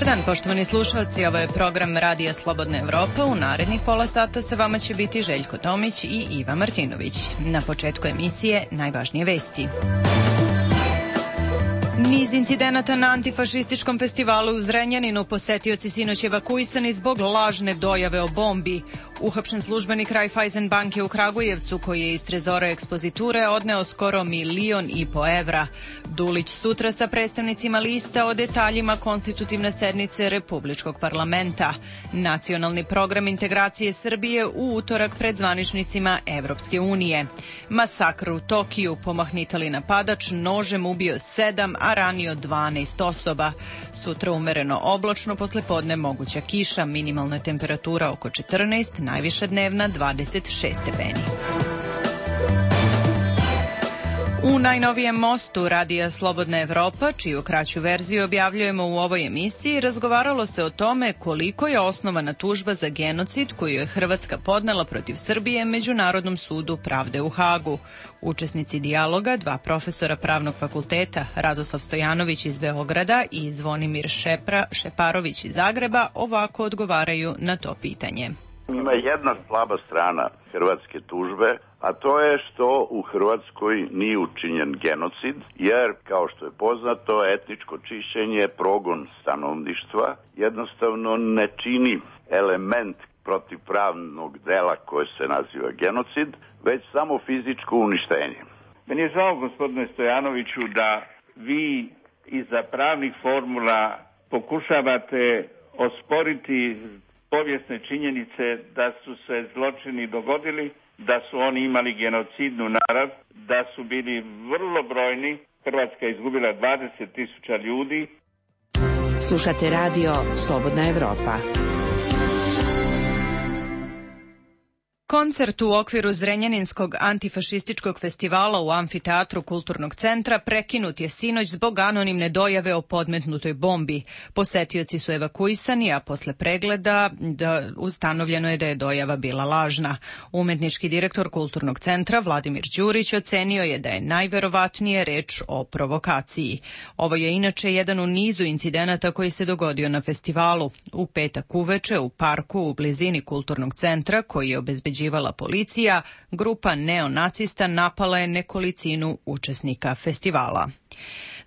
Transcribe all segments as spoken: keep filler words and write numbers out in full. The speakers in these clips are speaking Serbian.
dan, poštovani slušalci, ovo je program Radija Slobodna Evropa. U narednih pola sata sa vama će biti Željko Tomić i Iva Martinović. Na početku emisije najvažnije vesti. Niz incidenata na antifašističkom festivalu u Zrenjaninu, posetioci sinoć evakuisani zbog lažne dojave o bombi. Uhapšen službenik Raiffeisen banke u Kragujevcu, koji je iz trezora ekspoziture odneo skoro milion i po evra. Dulić sutra sa predstavnicima lista o detaljima konstitutivne sednice Republičkog parlamenta. Nacionalni program integracije Srbije u utorak pred zvaničnicima Evropske unije. Masakr u Tokiju, pomahnitali napadač nožem ubio sedam, a ranio dvanaest osoba. Sutra umereno oblačno, poslepodne moguća kiša, minimalna temperatura oko četrnaest, najviša dnevna dvadeset šest stepeni. U najnovijem mostu Radija Slobodna Evropa, čiju kraću verziju objavljujemo u ovoj emisiji, razgovaralo se o tome koliko je osnovana tužba za genocid koju je Hrvatska podnela protiv Srbije Međunarodnom sudu pravde u Hagu. Učesnici dijaloga, dva profesora Pravnog fakulteta, Radoslav Stojanović iz Beograda i Zvonimir Šepra, Šeparović iz Zagreba, ovako odgovaraju na to pitanje. Ima jedna slaba strana hrvatske tužbe, a to je što u Hrvatskoj nije učinjen genocid, jer, kao što je poznato, etničko čišćenje, progon stanovništva, jednostavno ne čini element protivpravnog dela koje se naziva genocid, već samo fizičko uništenje. Meni je žao, gospodine Stojanoviću, da vi iza pravnih formula pokušavate osporiti povijesne činjenice da su se zločini dogodili, da su oni imali genocidnu narav, da su bili vrlo brojni. Hrvatska je izgubila dvadeset tisuća ljudi. Slušate radio Slobodna Evropa. Koncert u okviru Zrenjaninskog antifašističkog festivala u amfiteatru Kulturnog centra prekinut je sinoć zbog anonimne dojave o podmetnutoj bombi. Posetioci su evakuisani, a posle pregleda da ustanovljeno je da je dojava bila lažna. Umetnički direktor Kulturnog centra Vladimir Đurić ocenio je da je najverovatnije reč o provokaciji. Ovo je inače jedan u nizu incidenata koji se dogodio na festivalu. U petak uveče u parku u blizini Kulturnog centra, koji je obezbeđen policija, grupa neonacista napala je nekolicinu učesnika festivala.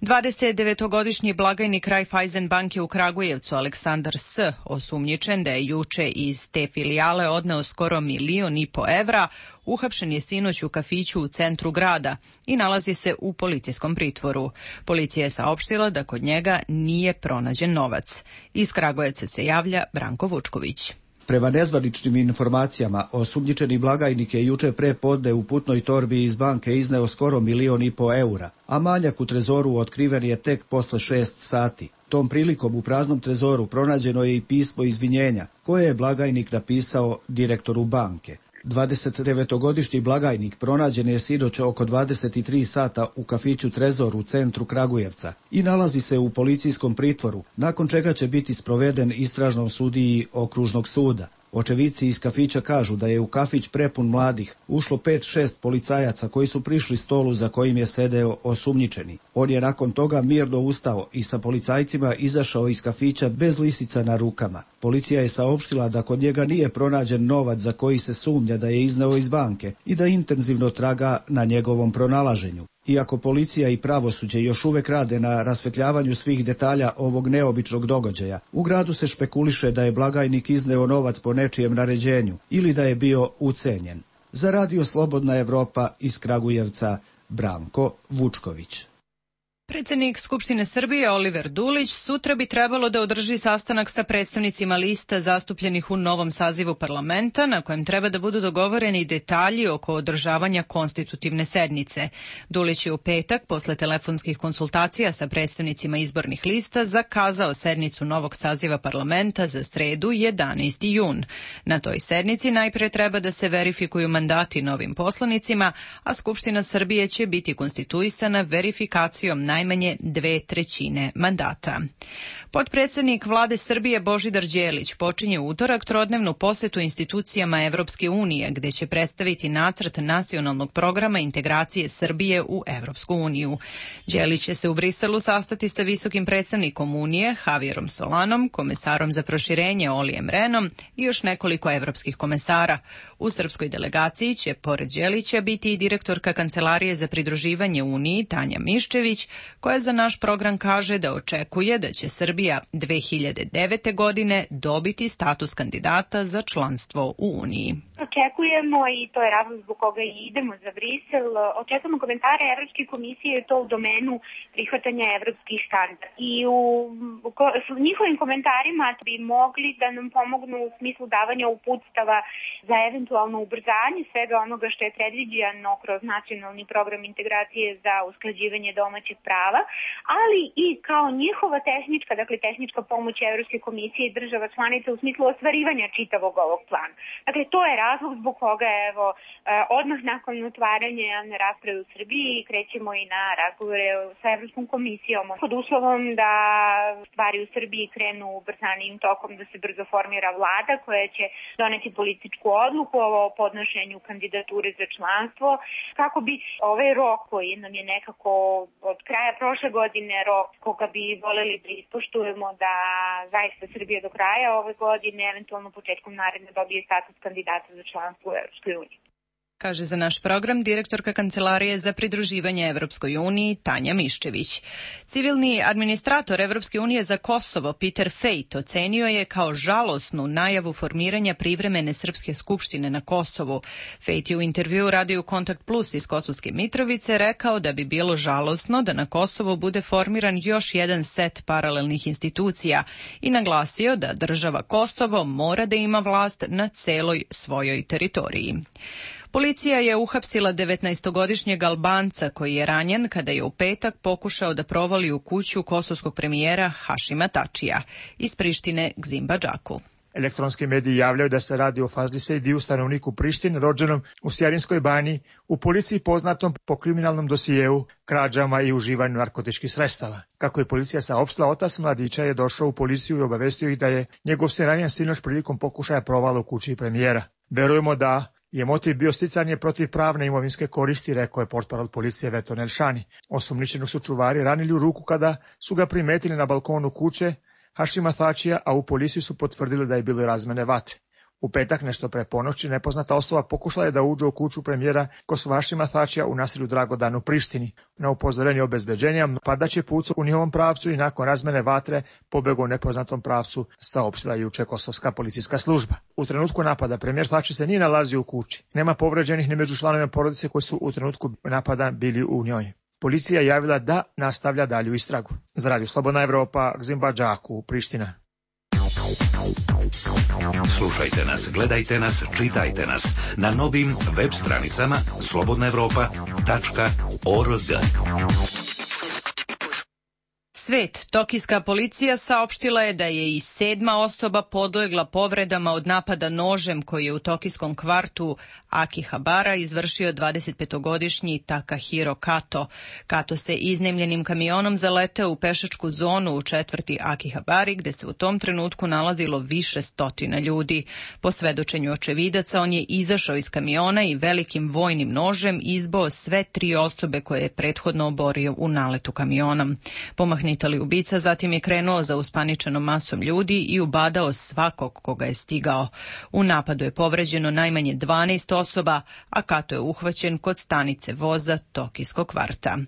dvadesetdevetogodišnji blagajnik Raiffeisen banke u Kragujevcu Aleksandar S. osumnjičen da je juče iz te filijale odneo skoro milion i po evra, uhapšen je sinoć u kafiću u centru grada i nalazi se u policijskom pritvoru. Policija je saopštila da kod njega nije pronađen novac. Iz Kragujevca se javlja Branko Vučković. Prema nezvaničnim informacijama, osumnjičeni blagajnik je juče pre podne u putnoj torbi iz banke izneo skoro milion i po eura, a manjak u trezoru otkriven je tek posle šest sati. Tom prilikom u praznom trezoru pronađeno je i pismo izvinjenja, koje je blagajnik napisao direktoru banke. dvadesetdevetogodišnji blagajnik pronađen je sinoć oko dvadeset tri sata u kafiću Trezor u centru Kragujevca i nalazi se u policijskom pritvoru, nakon čega će biti sproveden istražnom sudiji okružnog suda. Očevici iz kafića kažu da je u kafić prepun mladih ušlo pet šest policajaca koji su prišli stolu za kojim je sedeo osumnjičeni. On je nakon toga mirno ustao i sa policajcima izašao iz kafića bez lisica na rukama. Policija je saopštila da kod njega nije pronađen novac za koji se sumnja da je izneo iz banke i da intenzivno traga na njegovom pronalaženju. Iako policija i pravosuđe još uvek rade na rasvetljavanju svih detalja ovog neobičnog događaja, u gradu se špekuliše da je blagajnik izneo novac po nečijem naređenju ili da je bio ucenjen. Za Radio Slobodna Evropa iz Kragujevca, Branko Vučković. Predsednik Skupštine Srbije Oliver Dulić sutra bi trebalo da održi sastanak sa predstavnicima lista zastupljenih u novom sazivu parlamenta, na kojem treba da budu dogovoreni detalji oko održavanja konstitutivne sednice. Dulić je u petak, posle telefonskih konsultacija sa predstavnicima izbornih lista, zakazao sednicu novog saziva parlamenta za sredu jedanaesti jun. Na toj sednici najpre treba da se verifikuju mandati novim poslanicima, a Skupština Srbije će biti konstituisana verifikacijom najvećeg najmanje dve trećine mandata. Potpredsednik vlade Srbije Božidar Đelić počinje u utorak trodnevnu posetu institucijama Evropske unije, gde će predstaviti nacrt nacionalnog programa integracije Srbije u Evropsku uniju. Đelić će se u Briselu sastati sa visokim predstavnikom Unije, Javierom Solanom, komesarom za proširenje Olijem Renom i još nekoliko evropskih komesara. U srpskoj delegaciji će, pored Đelića, biti i direktorka Kancelarije za pridruživanje Uniji, Tanja Miščević, koja za naš program kaže da očekuje da će Srbija dve hiljade devete. godine dobiti status kandidata za članstvo u Uniji. Očekujemo, i to je razlog zbog koga i idemo za Brisel, očekujemo komentare Evropske komisije i to u domenu prihvatanja evropskih standarda. I u, u njihovim komentarima bi mogli da nam pomognu u smislu davanja uputstava za eventualno ubrzanje svega onoga što je predviđeno kroz nacionalni program integracije za usklađivanje domaćeg prava, ali i kao njihova tehnička, dakle tehnička pomoć Evropske komisije i država članica u smislu ostvarivanja čitavog ovog plana. Dakle, to je razlog zbog koga, evo, odmah nakon otvaranja javne rasprave u Srbiji krećemo i na razgovore sa Evropskom komisijom pod uslovom da stvari u Srbiji krenu ubrzanijim tokom, da se brzo formira vlada koja će doneti političku odluku o podnošenju kandidature za članstvo, kako bi ovaj rok koji nam je nekako od kraja prošle godine rok koga bi voleli da ispoštujemo, da zaista Srbija do kraja ove godine, eventualno početkom naredne, dobije status kandidata za članstvo u Evropskoj uniji. Kaže za naš program direktorka Kancelarije za pridruživanje Evropskoj uniji Tanja Miščević. Civilni administrator Evropske unije za Kosovo Peter Fejt ocenio je kao žalosnu najavu formiranja privremene srpske skupštine na Kosovu. Fejt je u intervjuu radiju Kontakt Plus iz Kosovske Mitrovice rekao da bi bilo žalosno da na Kosovu bude formiran još jedan set paralelnih institucija i naglasio da država Kosovo mora da ima vlast na celoj svojoj teritoriji. Policija je uhapsila devetnaestogodišnjeg Albanca koji je ranjen kada je u petak pokušao da provali u kuću kosovskog premijera Hašima Tačija. Iz Prištine Gzim Badžaku. Elektronski mediji javljaju da se radi o Fazli Sejdiju, stanovniku Prištine, rođenom u Sjarinskoj banji, u policiji poznatom po kriminalnom dosijeu, krađama i uživanju narkotičkih sredstava. Kako je policija saopštila, otac mladića je došao u policiju i obavestio ih da je njegov sin ranjen sinoć prilikom pokušaja provala u kući premijera. Verujemo da je motiv bio sticanje protivpravne imovinske koristi, rekao je portparol policije Veton Elšani. Osumnjičenog su čuvari ranili u ruku kada su ga primetili na balkonu kuće Hašima Tačija, a u policiji su potvrdili da je bilo razmene vatre. U petak nešto pre ponoći nepoznata osoba pokušala je da uđe u kuću premijera Kosova Hašima Tačija u naselju Dragodan u Prištini. Na upozorenje obezbeđenja napadač je pucao u njihovom pravcu i nakon razmene vatre pobegao u nepoznatom pravcu, saopštila juče kosovska policijska služba. U trenutku napada premijer Tači se nije nalazio u kući. Nema povređenih ni među članovima porodice koji su u trenutku napada bili u njoj. Policija je javila da nastavlja dalju istragu. Za Radio Slobodna Evropa, Gzim Badžaku, Priština. Slušajte nas, gledajte nas, čitajte nas na novim web stranicama slobodna evropa tačka org. Svet, tokijska policija saopštila je da je i sedma osoba podlegla povredama od napada nožem koji je u tokijskom kvartu Akihabara izvršio dvadesetpetogodišnji Takahiro Kato. Kato se iznajmljenim kamionom zaleteo u pešačku zonu u četvrti Akihabari, gde se u tom trenutku nalazilo više stotina ljudi. Po svedočenju očevidaca, on je izašao iz kamiona i velikim vojnim nožem izboo sve tri osobe koje je prethodno oborio u naletu kamionom. Pomahnitali ubica zatim je krenuo za uspaničenom masom ljudi i ubadao svakog koga je stigao. U napadu je povređeno najmanje dvanaest osoba, a Kato je uhvaćen kod stanice voza tokijskog kvarta.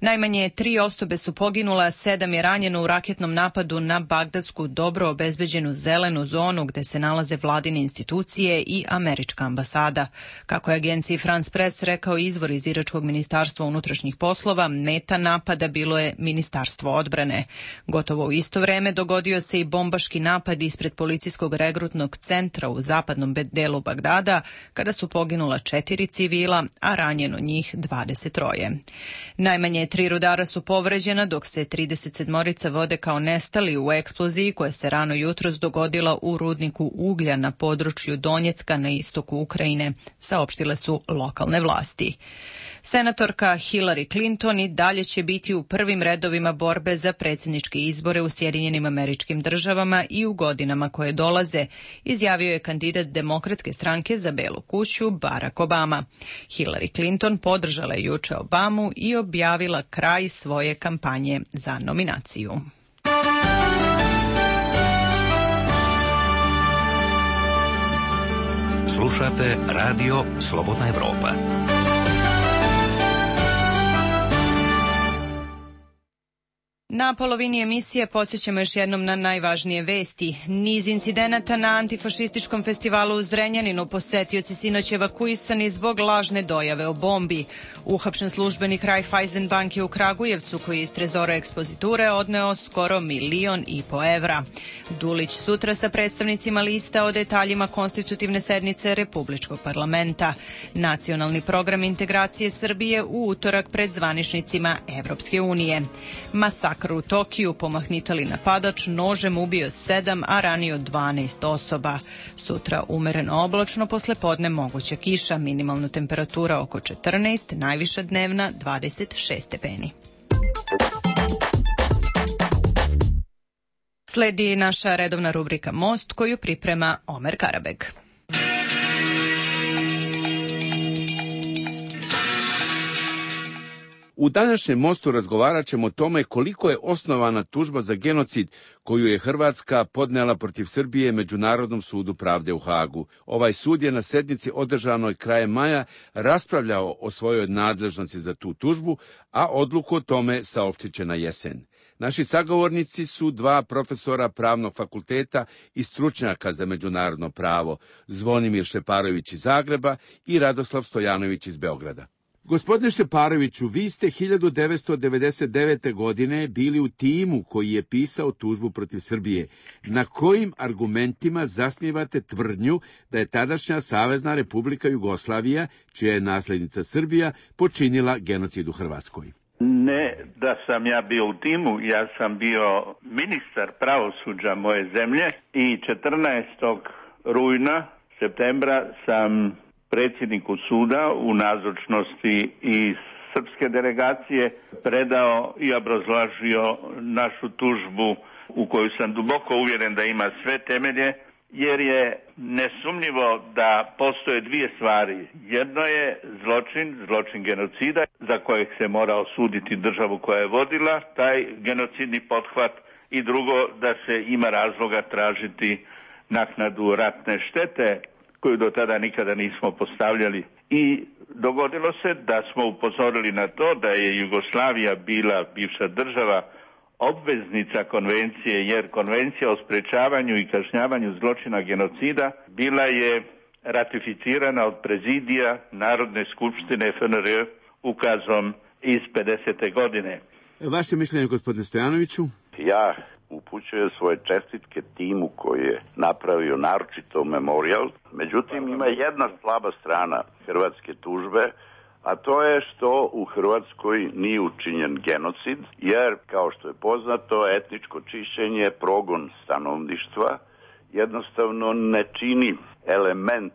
Najmanje tri osobe su poginule, a sedam je ranjeno u raketnom napadu na bagdadsku dobro obezbeđenu zelenu zonu gde se nalaze vladine institucije i američka ambasada. Kako je agenciji France Press rekao izvor iz iračkog ministarstva unutrašnjih poslova, meta napada bilo je ministarstvo odbrane. Gotovo u isto vreme dogodio se i bombaški napad ispred policijskog regrutnog centra u zapadnom delu Bagdada, kada su poginula četiri civila, a ranjeno njih dvadeset troje. Najmanje tri rudara su povređena, dok se trideset sedmorica vode kao nestali u eksploziji koja se rano jutros dogodila u rudniku uglja na području Donjecka na istoku Ukrajine, saopštile su lokalne vlasti. Senatorka Hillary Clinton i dalje će biti u prvim redovima borbe za predsjedničke izbore u Sjedinjenim Američkim Državama i u godinama koje dolaze, izjavio je kandidat Demokratske stranke za Belu kuću Barack Obama. Hillary Clinton podržala je juče Obamu i objavila kraj svoje kampanje za nominaciju. Slušate Radio Slobodna Evropa. Na polovini emisije podsjećamo još jednom na najvažnije vesti. Niz incidenata na antifašističkom festivalu u Zrenjaninu, posetioci sinoć evakuisani zbog lažne dojave o bombi. Uhapšen službenik Raiffeisen banke u Kragujevcu, koji je iz trezora ekspoziture odneo skoro milion i po evra. Dulić sutra sa predstavnicima lista o detaljima konstitutivne sednice Republičkog parlamenta. Nacionalni program integracije Srbije u utorak pred zvaničnicima Evropske unije. Masakr u Tokiju, pomahnitali napadač nožem ubio sedam, a ranio dvanaest osoba. Sutra umereno oblačno, poslepodne moguća kiša, minimalna temperatura oko četrnaest, najviša dnevna dvadeset šest stepeni. Sledi naša redovna rubrika Most, koju priprema Omer Karabeg. U današnjem Mostu razgovarat ćemo o tome koliko je osnovana tužba za genocid koju je Hrvatska podnela protiv Srbije Međunarodnom sudu pravde u Hagu. Ovaj sud je na sednici održanoj krajem maja raspravljao o svojoj nadležnosti za tu tužbu, a odluku o tome saopštit će na jesen. Naši sagovornici su dva profesora Pravnog fakulteta i stručnjaka za međunarodno pravo, Zvonimir Šeparović iz Zagreba i Radoslav Stojanović iz Beograda. Gospodine Šeparoviću, vi ste hiljadu devetsto devedeset devete. godine bili u timu koji je pisao tužbu protiv Srbije. Na kojim argumentima zasnivate tvrdnju da je tadašnja Savezna Republika Jugoslavija, čija je naslednica Srbija, počinila genocid u Hrvatskoj? Ne da sam ja bio u timu, ja sam bio ministar pravosuđa moje zemlje i četrnaestog rujna, septembra sam predsjedniku suda u nazočnosti i srpske delegacije predao i obrazložio našu tužbu u koju sam duboko uvjeren da ima sve temelje, jer je nesumnjivo da postoje dvije stvari. Jedno je zločin, zločin genocida za kojeg se mora osuditi državu koja je vodila taj genocidni pothvat, i drugo da se ima razloga tražiti naknadu ratne štete koju do tada nikada nismo postavljali. I dogodilo se da smo upozorili na to da je Jugoslavija bila, bivša država, obveznica konvencije, jer konvencija o sprečavanju i kažnjavanju zločina genocida bila je ratificirana od prezidija Narodne skupštine F N R ukazom iz pedesete. godine. Vaše mišljenje, gospodine Stojanoviću? Ja upućujem svoje čestitke timu koji je napravio naročito memorijal. Međutim, ima jedna slaba strana hrvatske tužbe, a to je što u Hrvatskoj nije učinjen genocid, jer, kao što je poznato, etničko čišćenje, progon stanovništva, jednostavno ne čini element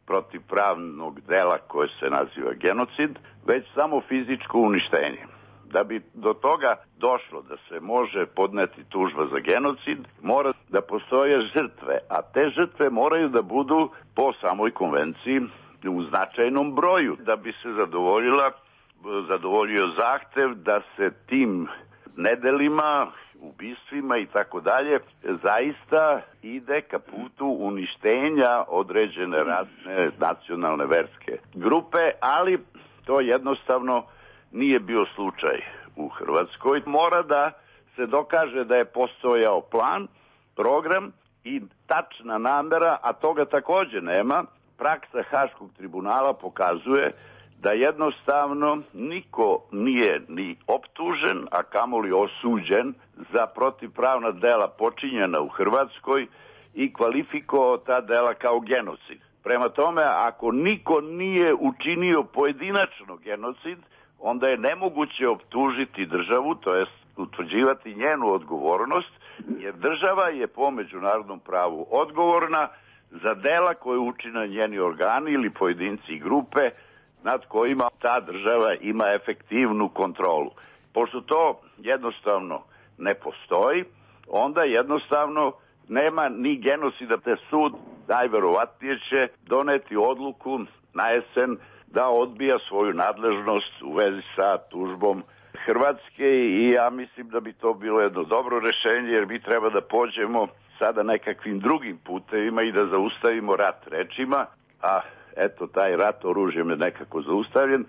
protivpravnog dela koje se naziva genocid, već samo fizičko uništenje. Da bi do toga došlo da se može podneti tužba za genocid, mora da postoje žrtve, a te žrtve moraju da budu po samoj konvenciji u značajnom broju, da bi se zadovoljila, zadovoljio zahtev da se tim nedelima, ubistvima i tako dalje, zaista ide ka putu uništenja određene rasne, nacionalne, verske grupe, ali to jednostavno nije bio slučaj u Hrvatskoj. Mora da se dokaže da je postojao plan, program i tačna namera, a toga takođe nema. Praksa Haškog tribunala pokazuje da jednostavno niko nije ni optužen, a kamoli osuđen za protivpravna dela počinjena u Hrvatskoj i kvalifikovao ta dela kao genocid. Prema tome, ako niko nije učinio pojedinačno genocid, onda je nemoguće optužiti državu, to jest utvrđivati njenu odgovornost, jer država je po međunarodnom pravu odgovorna za dela koje učine njeni organi ili pojedinci i grupe nad kojima ta država ima efektivnu kontrolu. Pošto to jednostavno ne postoji, onda jednostavno nema ni genocida, te sud najverovatnije će doneti odluku na jesen da odbija svoju nadležnost u vezi sa tužbom Hrvatske i ja mislim da bi to bilo jedno dobro rešenje, jer mi treba da pođemo sada nekakvim drugim putevima i da zaustavimo rat rečima, a eto taj rat oružjem je nekako zaustavljen.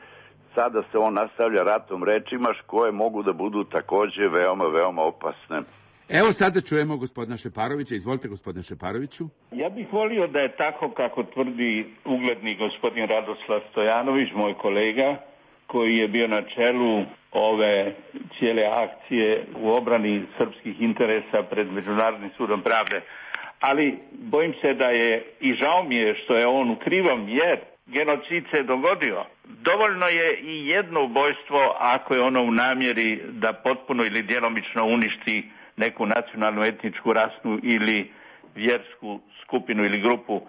Sada se on nastavlja ratom rečima koje mogu da budu takođe veoma, veoma opasne. Evo sada čujemo gospodina Šeparovića. Izvolite, gospodine Šeparoviću. Ja bih volio da je tako kako tvrdi ugledni gospodin Radoslav Stojanović, moj kolega, koji je bio na čelu ove cijele akcije u obrani srpskih interesa pred Međunarodnim sudom pravde. Ali bojim se da je, i žao mi je što je on u krivom, jer genocid se dogodio. Dovoljno je i jedno ubojstvo ako je ono u namjeri da potpuno ili djelomično uništi neku nacionalnu, etničku, rasnu ili vjersku skupinu ili grupu.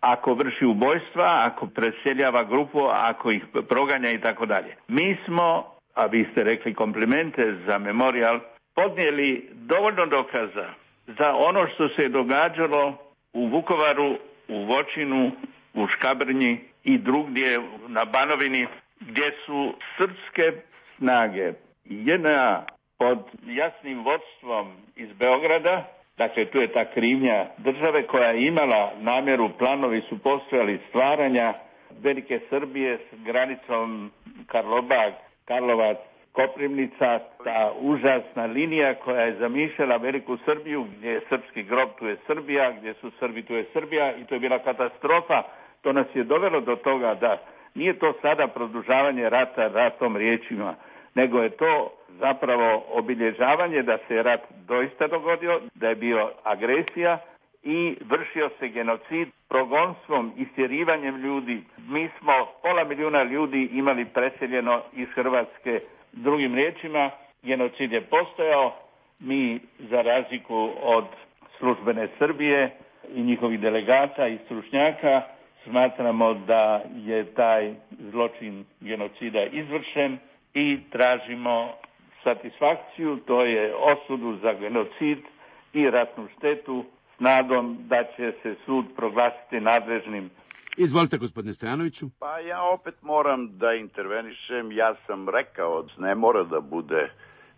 Ako vrši ubojstva, ako preseljava grupu, ako ih proganja i tako dalje. Mi smo, a vi ste rekli komplimente za Memorial, podnijeli dovoljno dokaza za ono što se je događalo u Vukovaru, u Voćinu, u Škabrnji i drugdje na Banovini, gdje su srpske snage J N A pod jasnim vodstvom iz Beograda, dakle tu je ta krivnja države koja je imala namjeru, planovi su postojali stvaranja velike Srbije s granicom Karlobag, Karlovac, Koprivnica, ta užasna linija koja je zamišljala veliku Srbiju, gdje je srpski grob, tu je Srbija, gdje su Srbi, tu je Srbija, i to je bila katastrofa. To nas je dovelo do toga da nije to sada produžavanje rata ratom riječima, nego je to zapravo obilježavanje da se rat doista dogodio, da je bio agresija i vršio se genocid progonstvom, istjerivanjem ljudi. Mi smo pola milijuna ljudi imali preseljeno iz Hrvatske. Drugim riječima, genocid je postojao. Mi, za razliku od službene Srbije i njihovih delegata i stručnjaka, smatramo da je taj zločin genocida izvršen i tražimo satisfakciju, to je osudu za genocid i ratnu štetu, s nadom da će se sud proglasiti nadležnim. Izvolite, gospodine Stojanoviću. Pa ja opet moram da intervenišem. Ja sam rekao, ne mora da bude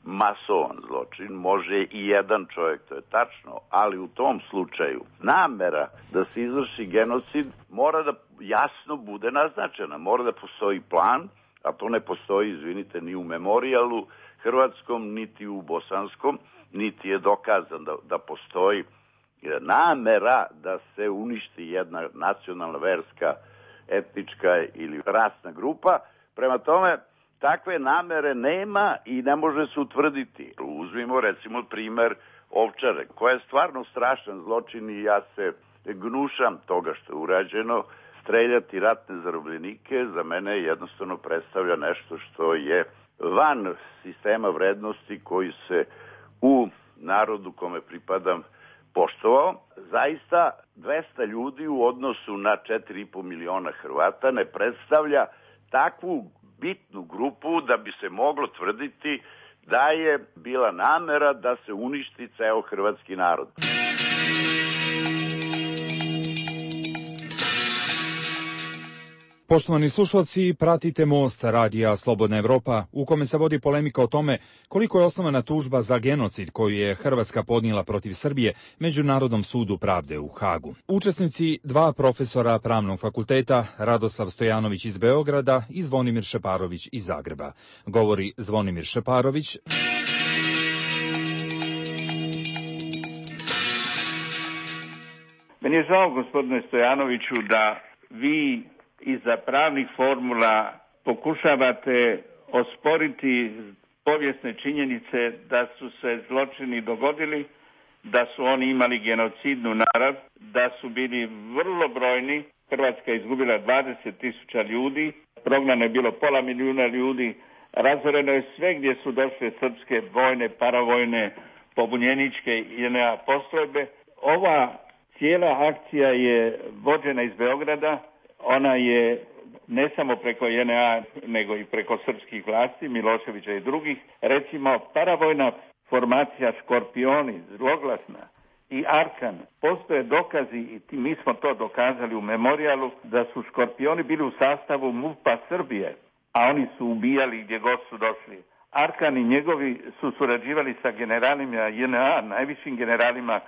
masovan zločin, može i jedan čovjek, to je tačno, ali u tom slučaju namera da se izvrši genocid mora da jasno bude naznačena, mora da postoji plan, a to ne postoji, izvinite, ni u Memorialu hrvatskom, niti u bosanskom, niti je dokazan da, da postoji namera da se uništi jedna nacionalna, verska, etnička ili rasna grupa. Prema tome, takve namere nema i ne može se utvrditi. Uzmimo recimo primer Ovčare, koja je stvarno strašan zločin i ja se gnušam toga što je urađeno. Streljati ratne zarobljenike za mene jednostavno predstavlja nešto što je van sistema vrednosti koji se u narodu kome pripadam poštovao. Zaista dvesta ljudi u odnosu na četiri i po miliona Hrvata ne predstavlja takvu bitnu grupu da bi se moglo tvrditi da je bila namera da se uništi ceo hrvatski narod. Poštovani slušalci, pratite Most radija Slobodna Evropa, u kome se vodi polemika o tome koliko je osnovana tužba za genocid koju je Hrvatska podnijela protiv Srbije Međunarodnom sudu pravde u Hagu. Učesnici, dva profesora Pravnog fakulteta, Radoslav Stojanović iz Beograda i Zvonimir Šeparović iz Zagreba. Govori Zvonimir Šeparović. Meni je žao, gospodine Stojanoviću, da vi iza pravnih formula pokušavate osporiti povijesne činjenice da su se zločini dogodili, da su oni imali genocidnu narav, da su bili vrlo brojni. Hrvatska je izgubila dvadeset tisuća ljudi, prognano je bilo pola milijuna ljudi, razoreno je sve gdje su došle srpske vojne, paravojne, pobunjeničke i J N A postrojbe. Ova cijela akcija je vođena iz Beograda. Ona je ne samo preko J N A, nego i preko srpskih vlasti, Miloševića i drugih. Recimo, paravojna formacija Škorpioni, zloglasna, i Arkan. Postoje dokazi, i mi smo to dokazali u memorijalu, da su Škorpioni bili u sastavu MUP-a Srbije, a oni su ubijali gdje god su došli. Arkan i njegovi su surađivali sa generalima J N A, najvišim generalima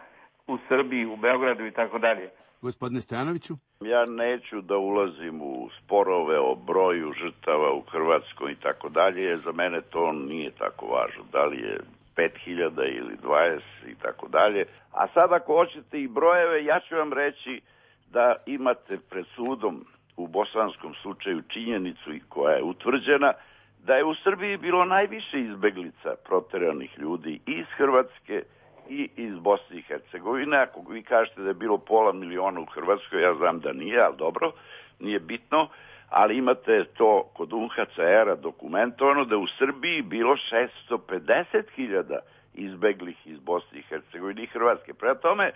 u Srbiji, u Beogradu i tako dalje. Gospodine Stojanoviću? Ja neću da ulazim u sporove o broju žrtava u Hrvatskoj i tako dalje, za mene to nije tako važno. Da li je pet hiljada ili dvadeset i tako dalje. A sad ako hoćete i brojeve, ja ću vam reći da imate pred sudom u bosanskom slučaju činjenicu koja je utvrđena da je u Srbiji bilo najviše izbeglica proteranih ljudi iz Hrvatske i iz Bosne i Hercegovine. Ako vi kažete da je bilo pola miliona u Hrvatskoj, ja znam da nije, ali dobro, nije bitno, ali imate to kod U N H C R-a dokumentovano da je u Srbiji bilo šesto pedeset hiljada izbeglih iz Bosne i Hercegovine i Hrvatske. Prema tome,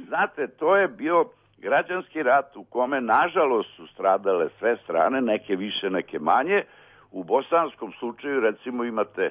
znate, to je bio građanski rat u kome, nažalost, su stradale sve strane, neke više, neke manje. U bosanskom slučaju, recimo, imate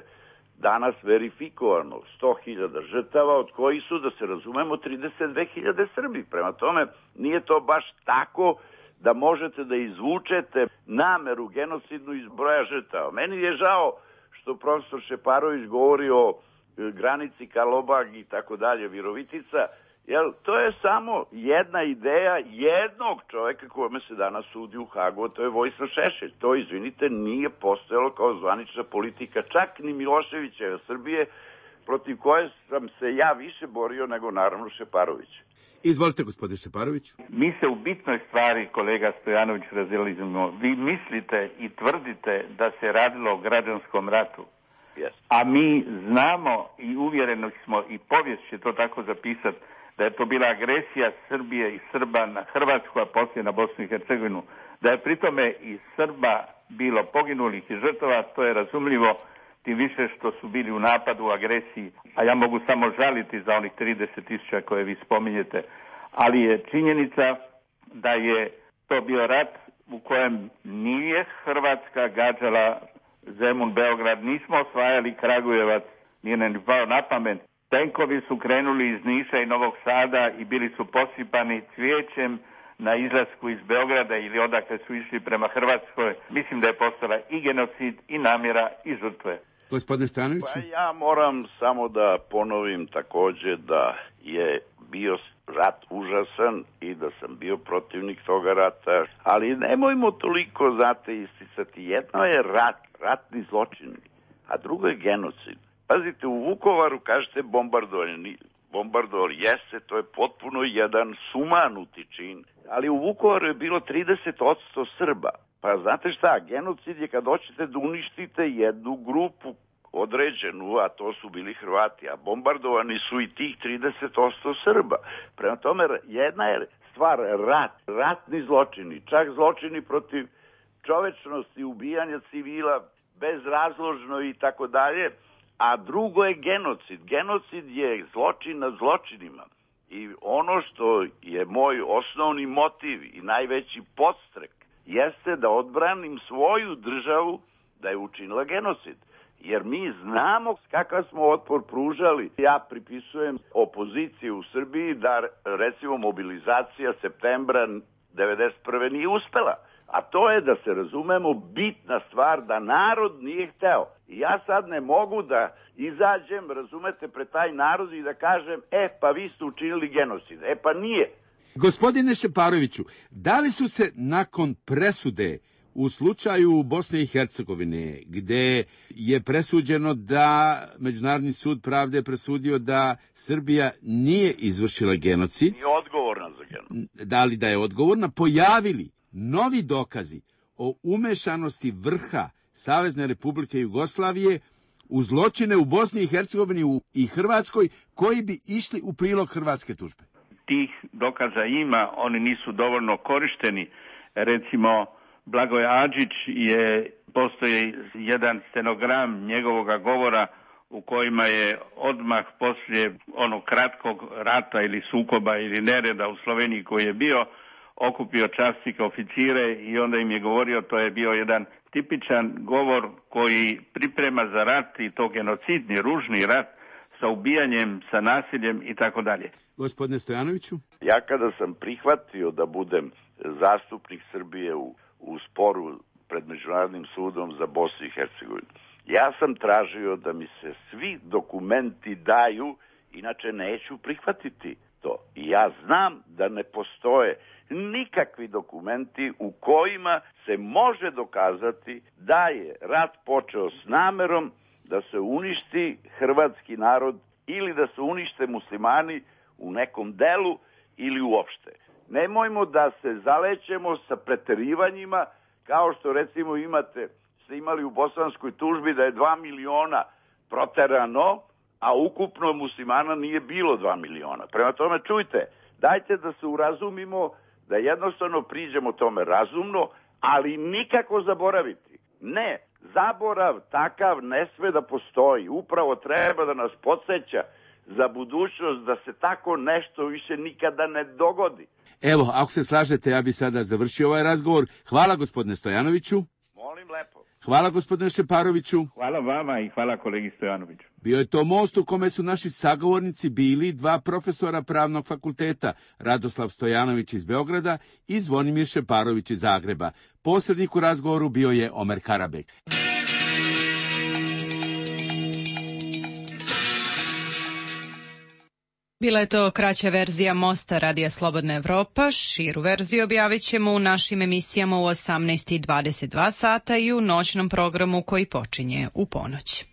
danas verifikovano sto hiljada žrtava, od kojih su, da se razumemo, trideset dve hiljade Srbi. Prema tome, nije to baš tako da možete da izvučete nameru genocidnu iz broja žrtava. Meni je žao što profesor Šeparović govori o granici Karlobag i tako dalje, Virovitica, jer to je samo jedna ideja jednog čoveka kome se danas sudi u Hagu, to je Vojislav Šešelj. To, izvinite, nije postojalo kao zvanična politika, čak ni Miloševića Srbije, protiv koje sam se ja više borio nego naravno Šeparović. Izvolite, gospodine Šeparoviću. Mi se u bitnoj stvari, kolega Stojanović, razilazimo. Vi mislite i tvrdite da se radilo o građanskom ratu. Yes. A mi znamo i uvjereni smo, i povijest će to tako zapisati, da je to bila agresija Srbije i Srba na Hrvatsku, a poslije na Bosnu i Hercegovinu. Da je pritome i Srba bilo poginulih i žrtava, to je razumljivo, tim više što su bili u napadu, u agresiji. A ja mogu samo žaliti za onih trideset tisuća koje vi spominjete. Ali je činjenica da je to bio rat u kojem nije Hrvatska gađala Zemun, Beograd, nismo osvajali Kragujevac, nije nam ni pao na pamet. Tenkovi su krenuli iz Niša i Novog Sada i bili su posipani cvijećem na izlasku iz Beograda ili odakle su išli prema Hrvatskoj. Mislim da je postala i genocid, i namjera, i žrtve. Gospodine Stojanoviću? Pa ja moram samo da ponovim takođe da je bio rat užasan i da sam bio protivnik toga rata, ali nemojmo toliko, znate, isticati. Jedno je rat, ratni zločin, a drugo je genocid. Pazite, u Vukovaru kažete bombardovanje. Bombardovanje jeste, to je potpuno jedan sumanuti čin, ali u Vukovaru je bilo trideset posto Srba. Pa znate šta, genocid je kad hoćete da uništite jednu grupu određenu, a to su bili Hrvati, a bombardovani su i tih trideset posto Srba. Prema tome, jedna je stvar rat, ratni zločini, čak zločini protiv čovečnosti, ubijanja civila bezrazložno i tako dalje, a drugo je genocid. Genocid je zločin nad zločinima. I ono što je moj osnovni motiv i najveći podstrek jeste da odbranim svoju državu da je učinila genocid. Jer mi znamo kakav smo otpor pružali. Ja pripisujem opoziciji u Srbiji da, recimo, mobilizacija septembra devedeset prve nije uspela. A to je, da se razumemo, bitna stvar da narod nije hteo. I ja sad ne mogu da izađem, razumete, pred taj narod i da kažem, e, pa vi ste učinili genocid. E, pa nije. Gospodine Šeparoviću, da li su se nakon presude u slučaju Bosne i Hercegovine, gde je presuđeno da Međunarodni sud pravde je presudio da Srbija nije izvršila genocid, nije odgovorna za genocid, da li da je odgovorna, pojavili novi dokazi o umešanosti vrha Savezne Republike Jugoslavije u zločine u Bosni i Hercegovini i Hrvatskoj koji bi išli u prilog hrvatske tužbe? Tih dokaza ima, oni nisu dovoljno korišteni. Recimo, Blagoje Adžić je, postoji jedan stenogram njegovog govora u kojima je odmah poslije onog kratkog rata ili sukoba ili nereda u Sloveniji koji je bio, okupio časnike, oficire i onda im je govorio, to je bio jedan tipičan govor koji priprema za rat i to genocidni, ružni rat sa ubijanjem, sa nasiljem i tako dalje. Gospodine Stojanoviću? Ja kada sam prihvatio da budem zastupnik Srbije u, u sporu pred Međunarodnim sudom za Bosnu i Hercegovinu, ja sam tražio da mi se svi dokumenti daju, inače neću prihvatiti to. I ja znam da ne postoje nikakvi dokumenti u kojima se može dokazati da je rat počeo s namerom da se uništi hrvatski narod ili da se unište muslimani u nekom delu ili uopšte. Nemojmo da se zalećemo sa preterivanjima kao što recimo imate, ste imali u bosanskoj tužbi da je dva miliona proterano, a ukupno muslimana nije bilo dva miliona. Prema tome, čujte, dajte da se urazumimo, da jednostavno priđemo tome razumno, ali nikako zaboraviti. Ne, zaborav takav ne sme da postoji. Upravo treba da nas podsjeća za budućnost da se tako nešto više nikada ne dogodi. Evo, ako se slažete, ja bi sada završio ovaj razgovor. Hvala gospodine Stojanoviću. Molim lepo. Hvala gospodine Šeparoviću. Hvala vama i hvala kolegi Stojanoviću. Bio je to most u kome su naši sagovornici bili dva profesora Pravnog fakulteta, Radoslav Stojanović iz Beograda i Zvonimir Šeparović iz Zagreba. Posrednik u razgovoru bio je Omer Karabek. Bila je to kraća verzija Mosta Radija Slobodna Evropa. Širu verziju objavit ćemo u našim emisijama u osamnaest i dvadeset dva sata i u noćnom programu koji počinje u ponoć.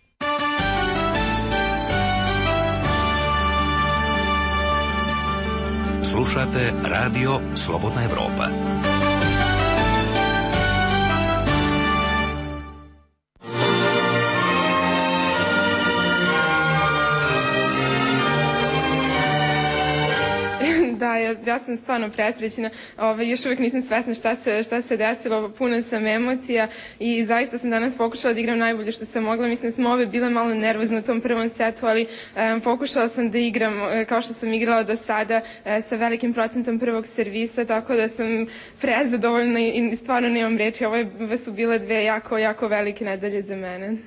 Slušate Radio Slobodna Evropa. Da, ja, ja sam stvarno presrećena, ovaj, još uvijek nisam svesna šta se, šta se desilo, puna sam emocija i zaista sam danas pokušala da igram najbolje što sam mogla. Mislim da sam ove bile malo nervozne u tom prvom setu, ali um, pokušala sam da igram uh, kao što sam igrala do sada, uh, sa velikim procentom prvog servisa, tako da sam prezadovoljna i, i stvarno nemam reči. Ovo su bile dve jako, jako velike nedelje za mene.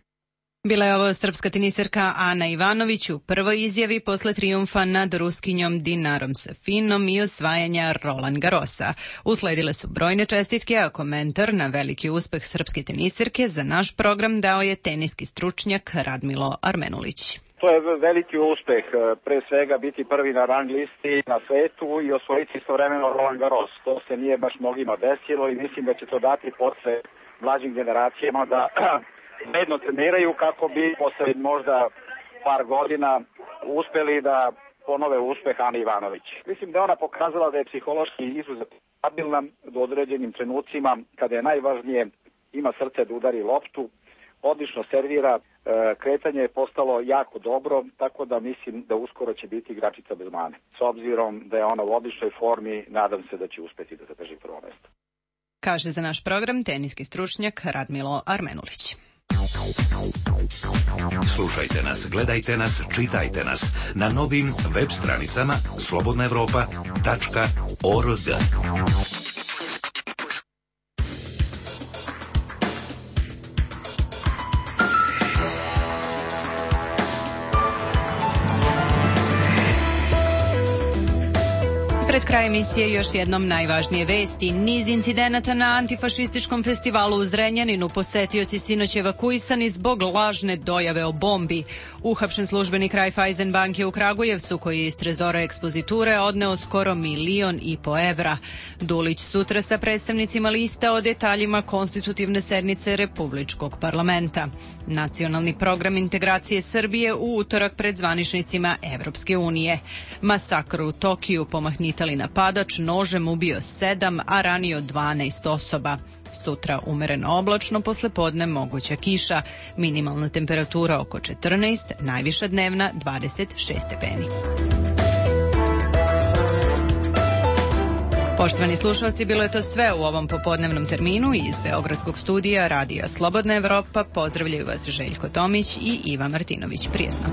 Bila je ovo srpska teniserka Ana Ivanović u prvoj izjavi posle trijumfa nad Ruskinjom Dinarom Safinom i osvajanja Roland Garrosa. Usledile su brojne čestitke, a komentar na veliki uspeh srpske teniserke za naš program dao je teniski stručnjak Radmilo Armenulić. To je veliki uspeh, pre svega biti prvi na rang listi na svetu i osvojiti istovremeno Roland Garros. To se nije baš mnogima desilo i mislim da će to dati posle mlađim generacijama da medno treniraju kako bi posle možda par godina uspeli da ponove uspeh Ani Ivanović. Mislim da je ona pokazala da je psihološki izuzetno stabilna do određenim trenucima kada je najvažnije, ima srce da udari loptu, odlično servira, kretanje je postalo jako dobro, tako da mislim da uskoro će biti igračica bez mane. S obzirom da je ona u odličnoj formi, nadam se da će uspeti da zadrži prvo mesto. Kaže za naš program teniski stručnjak Radmilo Armenulić. Slušajte nas, gledajte nas, čitajte nas na novim web stranicama slobodna evropa tačka org. Pred kraj emisije još jednom najvažnije vesti. Niz incidenata na antifašističkom festivalu u Zrenjaninu, posetioci sinoć evakuisani zbog lažne dojave o bombi. Uhapšen službenik Raiffeisen banke u Kragujevcu koji je iz trezora ekspoziture odneo skoro milion i po evra. Dulić sutra sa predstavnicima lista o detaljima konstitutivne sednice Republičkog parlamenta. Nacionalni program integracije Srbije u utorak pred zvaničnicima Evropske unije. Masakr u Tokiju, pomahnitali napadač nožem ubio sedam, a ranio dvanaest osoba. Sutra umereno oblačno, posle podne moguća kiša. Minimalna temperatura oko četrnaest, najviša dnevna dvadeset šest stepeni. Poštovani slušalci, bilo je to sve u ovom popodnevnom terminu iz Beogradskog studija Radija Slobodna Evropa. Pozdravljaju vas Željko Tomić i Iva Martinović. Prijetno.